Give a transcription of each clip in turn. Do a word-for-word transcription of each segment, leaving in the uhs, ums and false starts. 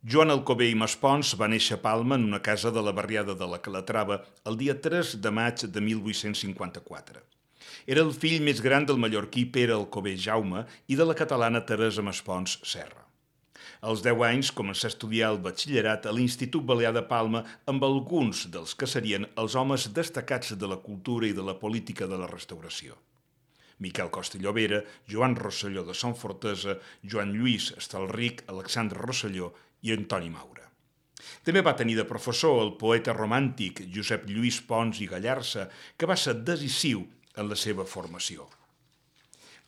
Joan Alcover i Maspons va néixer a Palma en una casa de la barriada de la Calatrava el dia tres de maig de mil vuit-cents cinquanta-quatre. Era el fill més gran del mallorquí Pere Alcover Jaume i de la catalana Teresa Maspons Serra. Als deu anys començà a estudiar el batxillerat a l'Institut Balear de Palma amb alguns dels que serien els homes destacats de la cultura i de la política de la restauració. Miquel Costa i Llobera, Joan Rosselló de Son Fortesa, Joan Lluís Estalric, Alexandre Rosselló i Antoni Maura. També va tenir de professor el poeta romàntic Josep Lluís Pons i Gallarça, que va ser decisiu en la seva formació.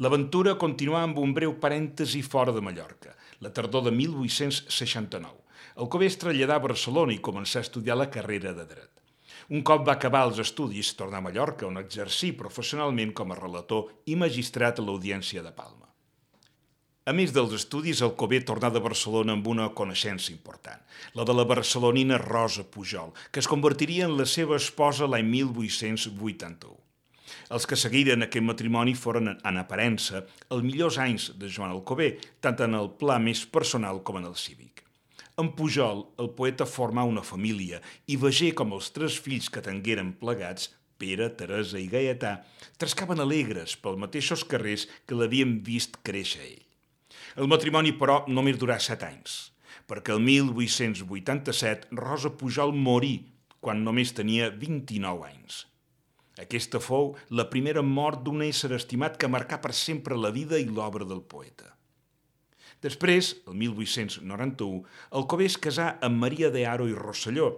L'aventura continuà amb un breu parèntesi fora de Mallorca, la tardor de mil vuit-cents seixanta-nou. Alcover es traslladà a Barcelona i començà a estudiar la carrera de dret. Un cop va acabar els estudis, tornà a Mallorca, on exercí professionalment com a relator i magistrat a l'Audiència de Palma. A més dels estudis, Alcover tornà de Barcelona amb una coneixença important, la de la barcelonina Rosa Pujol, que es convertiria en la seva esposa l'any mil vuit-cents vuitanta-u. Els que seguiren aquest matrimoni foren, en aparença, els millors anys de Joan Alcover, tant en el pla més personal com en el cívic. En Pujol, el poeta formà una família i vegué com els tres fills que tengueren plegats, Pere, Teresa i Gaietà, trescaven alegres pels mateixos carrers que l'havien vist créixer ell. El matrimoni, però, només durà set anys, perquè el mil vuit-cents vuitanta-set Rosa Pujol morí quan només tenia vint-i-nou anys. Aquesta fou la primera mort d'un ésser estimat que marcà per sempre la vida i l'obra del poeta. Després, el mil vuit-cents noranta-u, Alcover es casà amb Maria de Haro i Rosselló,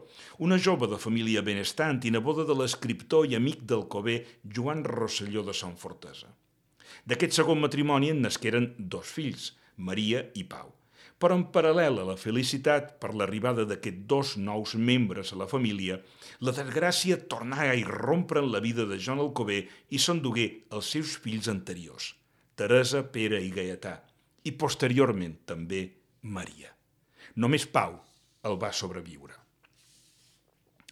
una jove de família benestant i neboda de l'escriptor i amic d'Alcover Joan Rosselló de Son Fortesa. D'aquest segon matrimoni en nasqueren dos fills, Maria i Pau. Però en paral·lel a la felicitat per l'arribada d'aquests dos nous membres a la família, la desgràcia tornà a irrompre en la vida de Joan Alcover i s'endugué els seus fills anteriors, Teresa, Pere i Gaietà, i posteriorment també Maria. Només Pau el va sobreviure.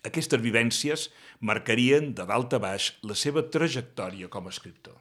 Aquestes vivències marcarien de dalt a baix la seva trajectòria com a escriptor.